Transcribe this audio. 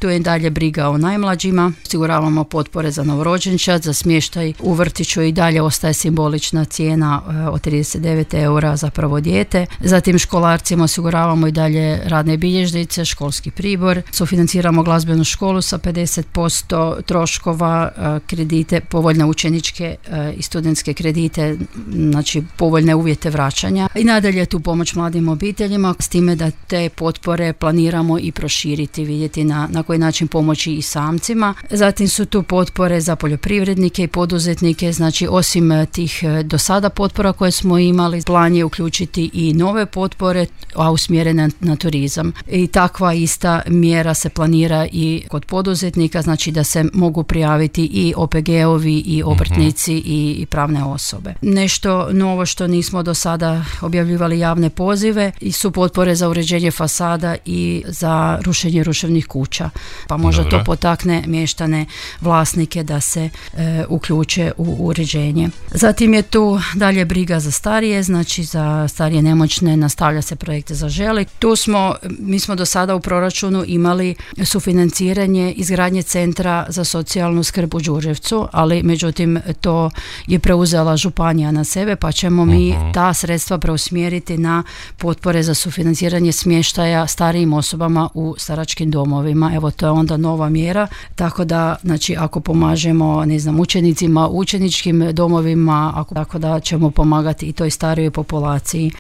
Tu je dalje briga o najmlađima, osiguravamo potpore za novorođenčad, za smještaj u vrtiću i dalje ostaje simbolična cijena od 39 eura za prvo dijete. Zatim školarcima osiguravamo i dalje radne bilježnice, školski pribor, sufinanciramo glazbenu školu sa 50% troškova, kredite, povoljne učeničke i studentske kredite, znači povoljne uvjete vraćanja. I nadalje tu pomoć mladim obiteljima, s time da te potpore planiramo i proširiti, vidjeti na koji način pomoći i samcima. Zatim su tu potpore za poljoprivrednike i poduzetnike, znači osim tih do sada potpora koje smo imali, plan je uključiti i nove potpore, a usmjerene na turizam. I takva ista mjera se planira i kod poduzetnika, znači da se mogu prijaviti i OPG-ovi i obrtnici i pravne osobe. Nešto novo što nismo do sada objavljivali javne pozive i su potpore za uređenje fasada i za rušenje ruševnih kuća. Pa možda to potakne mještane, vlasnike da se uključe u uređenje. Zatim je tu dalje briga za starije, znači za starije nemoćne nastavlja se projekt Zaželi. Mi smo do sada u proračunu imali sufinanciranje izgradnje centra za socijalnu skrb u Đurđevcu, ali međutim to je preuzela županija na sebe, pa ćemo mi ta sredstva preusmjeriti na potpore za sufinanciranje smještaja starijim osobama u staračkim domovima. Evo, to je onda nova mjera, tako da znači ako pomažemo učenicima u učeničkim domovima, tako da ćemo pomagati i toj starijoj populaciji